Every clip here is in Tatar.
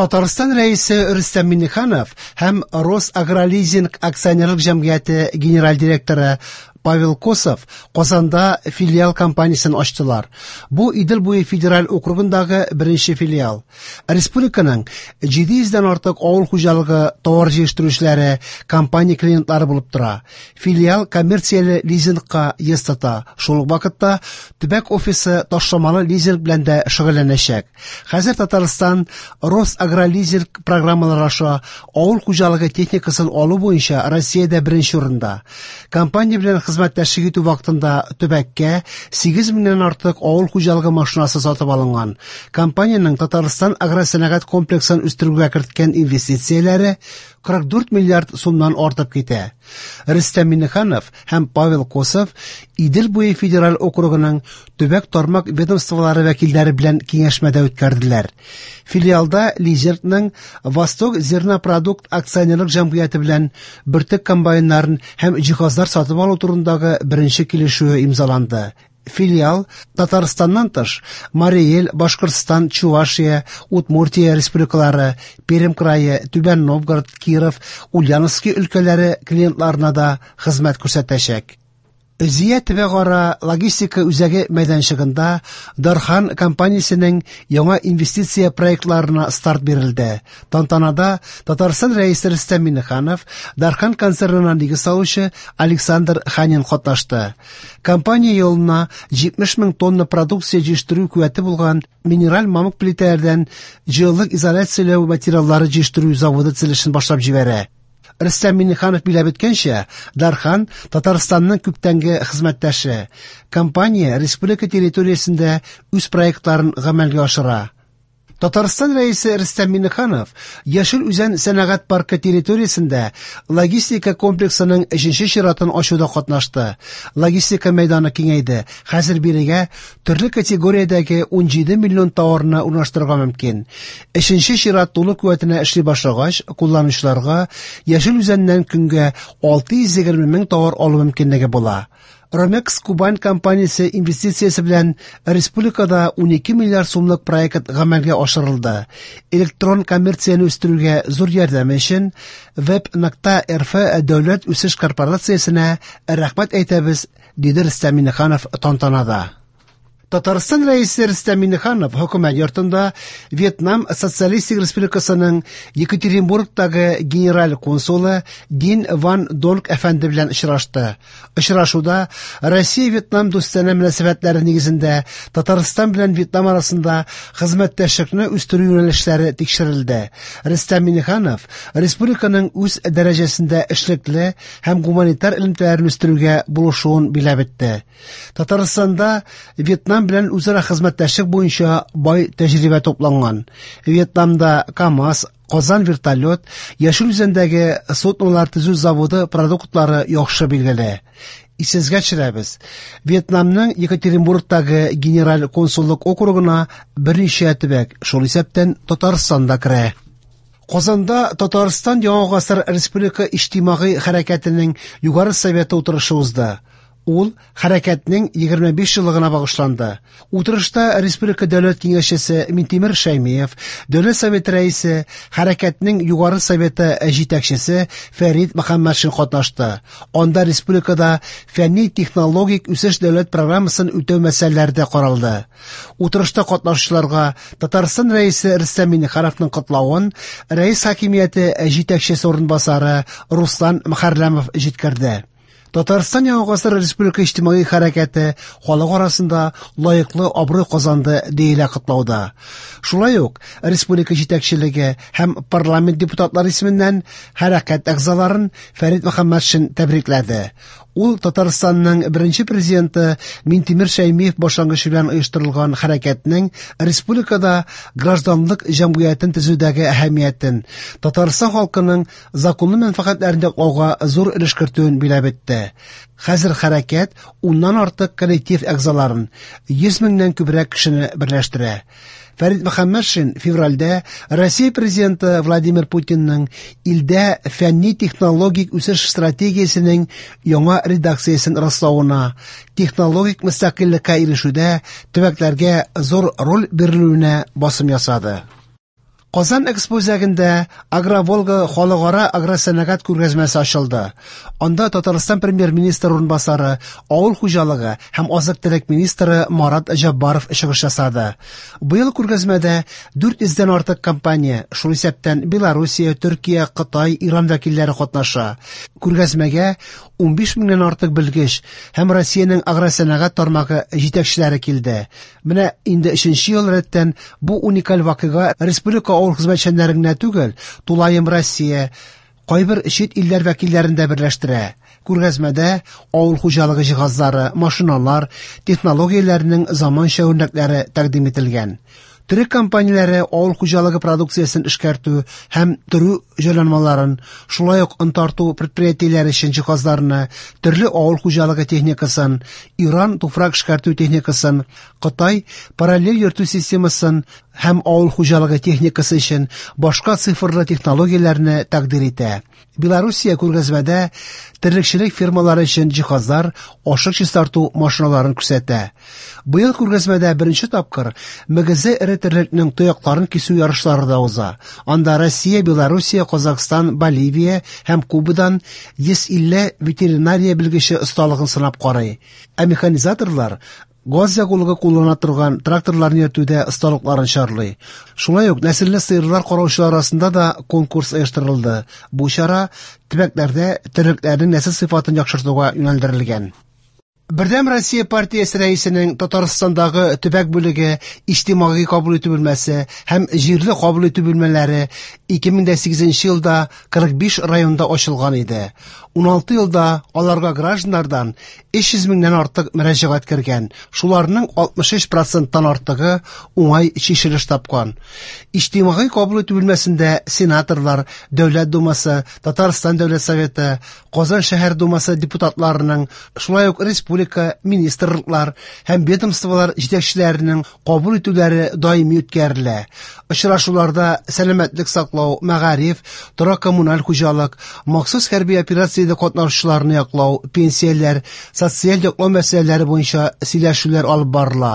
Татарстан Рәисе Рөстәм Миңнеханов һәм Росагролизинг акционерлык җәмгыяте генераль директоры Павел Косов Казанда филиал компаниясен ачтылар. Бу Идел буе федераль округындагы беренче филиал. Республиканың 700 дән артык авыл хуҗалыгы товар җитештерүчеләре компания клиентлары булып тора. Филиал коммерцияле лизингка йөз тота. Шул ук вакытта төбәк офисы ташламалы лизинг белән дә шөгыльләнәчәк. Хәзер Татарстан Росагролизинг программалары аша авыл хуҗалыгы техникасын алу буенча Россиядә беренче урында. Компания белән хезмәттәшлек итү вакытында төбәккә 8 меңнән артык авыл хуҗалыгы машинасы сатып алынган. Компаниянең Татарстан агросәнәгать комплексын үстерүгә керткән инвестицияләре 44 миллиард сумнан артып китә. Рөстәм Миңнеханов һәм Павел Косов Идел буе федераль округының төбәк тармак ведомстволары вәкилләре белән киңәшмә дә үткәрделәр. Филиалда Лизингның Восток зернопродукт акционерлык җәмгыяте белән бөртек комбайннарын һәм җиһазлар сатып алу турындагы беренче килешүе имзаланды. Филиал Татарстаннан тыш Марий Эл, Башкортстан, Чувашия, Удмуртия республикалары, Пермь крае, Түбән Новгород, Киров, Ульяновский өлкәләре клиентларына да хезмәт күрсәтәчәк. Зөя төбәкара логистика үзәге мәйданчыгында Дархан компаниясенең яңа инвестиция проектларына старт бирелде. Тантанада Татарстан Рәисе Рөстәм Миңнеханов, Дархан концернына нигез салучы Александр Ханин катнашты. Компания елына 70 мең тонна продукция җитештерү куәте булган минераль мамык плитәләрдән җылылык изоляцияләү материаллары җитештерү заводы төзелешен башлап җибәрә. Рөстәм Миңнеханов биләп үткәнчә, Дархан Татарстанның күптәнге хезмәттәше. Компания республика территориясендә үз проектларын гамәлгә ашыра. Татарстан Рәисе Рөстәм Миңнеханов Яшел Үзән сәнәгать паркы территориясендә логистика комплексының өченче чиратын ачуда катнашты. Логистика мәйданы киңәйде. Хәзер бирегә төрле категориядәге 17 миллион товарны урнаштырырга мөмкин. Өченче чират тулы куәтенә эшли башлагач, кулланучыларга Яшел Үзәннән көнгә 620 мең товар алу мөмкинлеге була. Ромекс Кубань компаниясе инвестициясе белән республикада 12 миллиард сумлык проект гамәлгә ашырылды. Электрон коммерцияне үстерүгә зур ярдәме өчен Web.rf дәүләт үсеш корпорациясенә рәхмәт әйтәбез, диде Рөстәм Миңнеханов тантанада. Татарстан Рәисе Рөстәм Миңнеханов хөкүмәт йортында Вьетнам Социалистик Республикасының Екатеринбургтагы генераль консулы Дин Ван Донг әфәнде белән очрашты. Очрашуда Россия-Вьетнам дустанә мөнәсәбәтләре нигезендә Татарстан белән Вьетнам арасында хезмәттәшлекне үстерү юнәлешләре тикшерелде. Рөстәм Миңнеханов республиканың үз дәрәҗәсендә эшлекле һәм гуманитар элемтәләрен үстерүгә булышуын биләп үтте. Татарстанда Вьетнам белән үзара хезмәттәшлек буенча бай тәҗрибә тупланган. Вьетнамда КАМАЗ, Казан вертолет, Яшел Үзәндәге суднолар төзү заводы продуктлары яхшы билгеле. Исегезгә төшерәбез. Вьетнамның Екатеринбургтагы генераль консуллык округына берничә төбәк, шул исәптән Татарстан да керә. Казанда Татарстан Яңа гасыр республика иҗтимагый хәрәкәтенең Югары советы утырышы узды. Ул хәрәкәтнең 25 еллыгына багышланды. Утырышта Республика Дәүләт Киңәшчесе Минтимер Шәймиев, Дәүләт Советы рәисе, хәрәкәтнең Югары Советы җитәкчесе Фәрид Мөхәммәтшин катнашты. Анда республикада фәнни-технологик үсеш дәүләт программасын үтәү мәсьәләләре дә каралды. Утырышта катнашучыларга Татарстан Рәисе Рөстәм Миңнехановның котлавын Рәис хакимияте җитәкчесе урынбасары Руслан Мөхәрләмов җиткерде. Татарстан Яңа гасыр республика иҗтимагый хәрәкәте халык арасында лаеклы абруй казанды, диелә котлауда. Шулай ук республика җитәкчелеге һәм парламент депутатлары исеменнән хәрәкәт әгъзаларын Фәрид Мөхәммәтшин тәбрикләде. Ул Татарстанның беренче президенты Минтимер Шәймиев башлангычы белән оештырылган хәрәкәтнең республикада гражданлык җәмгыятен төзүдәге әһәмиятен, Татарстан халкының законлы мәнфәгатьләрен яклауга зур өлеш кертүен биләп үтте. Хәзер хәрәкәт уннан артык коллектив әгъзаларын, 100 меңнән күбрәк кешене берләштерә. Фәрид Мөхәммәтшин февральдә Россия президенты Владимир Путинның илдә фәнни-технологик үсеш стратегиясенең яңа редакциясен раславына, технологик мөстәкыйльлеккә ирешүдә төбәкләргә зур роль бирелүенә басым ясады. Казан Экспо үзәгендә «Агроволга» халыкара агросәнәгать күргәзмәсе ачылды. Анда Татарстан Премьер-министры урынбасары, авыл хуҗалыгы һәм азык-төлек министры Марат Җәббаров чыгыш ясады. Быел күргәзмәдә 400 дән артык компания, шул исәптән Белоруссия, Төркия, Кытай, Иран вәкилләре катнаша. Күргәзмәгә 15 меңнән артык белгеч һәм Россиянең агросәнәгать тармагы җитәкчеләре килде. Менә инде өченче ел рәттән бу уникаль вакыйга республика авыл хезмәтчәннәрен генә түгел, тулаем Россия, кайбер чит илләр вәкилләрен дә берләштерә. Күргәзмәдә авыл хуҗалыгы җиһазлары, машиналар, технологияләрнең заманча үрнәкләре тәкъдим ителгән. Төрек компанияләре авыл хуҗалыгы продукциясен эшкәртү һәм төрү җайланмаларын, шулай ук он тарту предприятиеләре өчен җиһазларны, төрле авыл хуҗалыгы техникасын, Иран туфрак эшкәртү техникасын, Кытай параллель йөртү системасын һәм авыл хуҗалыгы техникасы өчен башка цифрлы технологияләрне тәкъдир итә. Белоруссия күргәзмәдә терлекчелек фермалары өчен җиһазлар, ашык чистарту машиналарын күрсәтә. Быел күргәзмәдә беренче тапкыр мөгезе эре терлекнең тоякларын кисү ярышлары да уза. Анда Россия, Белоруссия, Казахстан, Боливия һәм Кубадан 150 ветеринария белгече осталыгын сынап карый. Ә механизаторлар газ ягулыгы куллана торган тракторларны йөртүдә осталыкларын чарлый. Шулай ук нәселле сыерлар караучылар арасында да конкурс оештырылды. Бу чара төбәкләрдә терлекләрнең нәсел сыйфатын яхшыртуга юнәлдерелгән. Бердәм Россия партиясе рәисенең Татарстандагы төбәк бүлеге иҗтимагый кабул итү бүлмәсе һәм җирле кабул итү бүлмәләре 2008 елда 45 районда ачылган иде. 16 елда аларга гражданнардан 300 меңнән артык мөрәҗәгать кергән, шуларның 63 проценттан артыгы уңай чишелеш тапкан. Иҗтимагый кабул итү бүлмәсендә сенаторлар, Дәүләт Думасы, Татарстан Дәүләт Советы, Казан шәһәр Думасы депутатларының, шулай ук республика, министрлыклар һәм ведомстволар җитәкчеләренең кабул итүләре даими үткәрелә. Очрашуларда сәламәтлек саклау, мәгариф, торак-коммуналь хуҗалык, махсус хәрби операциядә катнашучыларны яклау, пенсияләр, социаль яклау мәсьәләләре буенча сөйләшүләр алып барыла.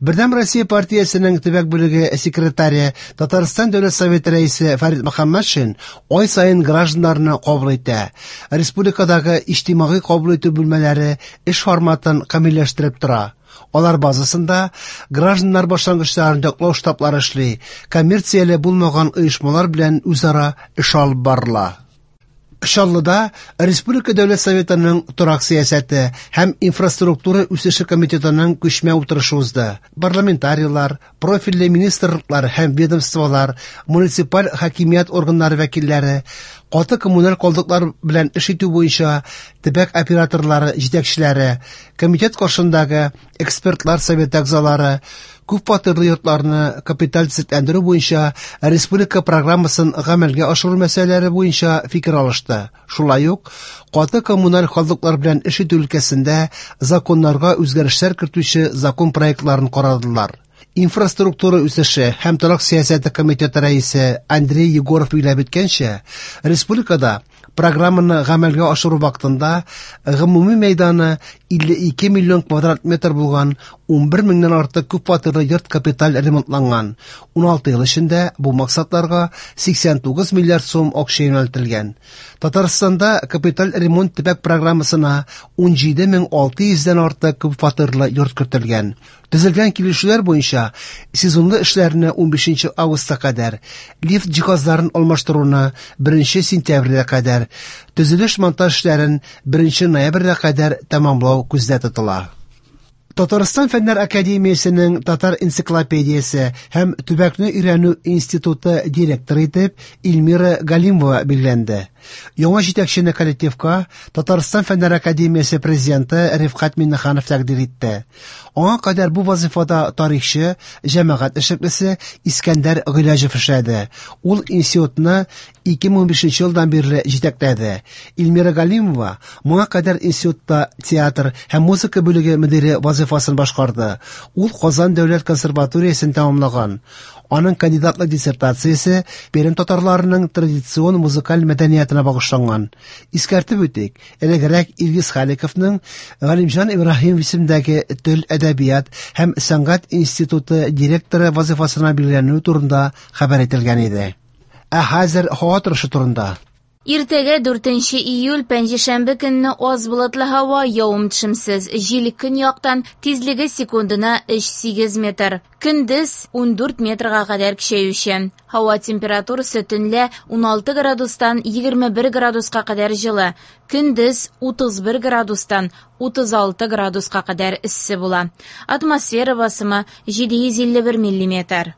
Бердәм Россия партиясенең төбәк бүлеге секретаре, Татарстан Дәүләт Советы рәисе Фәрит Мөхәммәтшин ай саен гражданнарны кабул итә. Республикадагы иҗтимагый кабул итү бүлмәләре эш форматын камилләштереп тора. Алар базасында гражданнар башлангычларын яклау штаблары эшли, коммерцияле булмаган оешмалар белән үзара эш алып барыла. Чаллыда Республика Дәүләт Советының торак сәясәте һәм инфраструктура үсеше комитетының күчмә утырышы узды. Парламентарийлар, профильле министрлыклар һәм ведомстволар, муниципаль хакимият органнары вәкилләре, каты коммуналь калдыклар белән эш итү буенча төбәк операторлары җитәкчеләре, комитет каршындагы экспертлар советы әгъзалары, күп фатирлы йортларны капиталь төзекләндерү буенча республика программасын гамәлгә ашыру мәсьәләләре буенча фикер алышты. Шулай ук каты коммуналь калдыклар белән эш итү өлкәсендә законнарга үзгәрешләр кертүче закон проектларын карадылар. Инфраструктура үсеше һәм торак сәясәте комитеты рәисе Андрей Егоров билгеләп үткәнчә, республикада программаны гамәлгә ашыру вакытында гомуми мәйданы 52 миллион квадрат метр булган 11 меңнән артык күп фатирлы йорт капиталь ремонтланган. 16 ел эчендә бу максатларга 89 миллиард сум акча юнәлтелгән. Татарстанда капиталь ремонт төбәк программасына 17600 дән артык күп фатирлы йорт кертелгән. Төзелгән килешүләр буенча сезонлы эшләрне 15 августка кадәр, лифт җиһазларын алмаштыруны 1 сентябрьгә кадәр, төзелеш-монтаж эшләрен 1 ноябрьгә кадәр тәмамлау күздә тотыла. Татарстан Фәннәр академиясенең Татар энциклопедиясе һәм төбәкне өйрәнү институты директоры итеп Эльмира Галимова билгеләнде. Яңа җитәкчене коллективка Татарстан Фәннәр академиясе президенты Рифкать Миңнеханов тәкъдир итте. Аңа кадәр бу вазифада тарихчы, җәмәгать эшлеклесе Искәндәр Гыйләҗев эшләде. Ул институтны 2015 елдан бирле җитәкләде. Эльмира Галимова моңа кадәр институтта театр һәм музыка бүлеге мөдире вазифасын башкарды. Ул Казан дәүләт консерваториясен тәмамлаган. Аның кандидатлык диссертациясе Пермь татарларының традицион музыкаль мәдәниятына багышланган. Искәртеп үтик, элегрәк Илгиз Халиковның Галимҗан Ибраһимов исемендәге Тел, әдәбият һәм сәнгать институты директоры вазыйфасына билгеләнүе турында хәбәр ителгән иде. Ә хәзер һава торышы турында. Иртәгә 4 июль пәнҗешәмбе көнне аз болытлы һава, явым-төшемсез. Җил көньяктан, тизлеге секундына 3,8 метр. Көндез 14 метрга кадәр көчәючән. Һава температурасы төнлә 16 градустан 21 градуска кадәр җылы, көндез 31 градустан 36 градуска кадәр эссе була. Атмосфера басымы 751 миллиметр.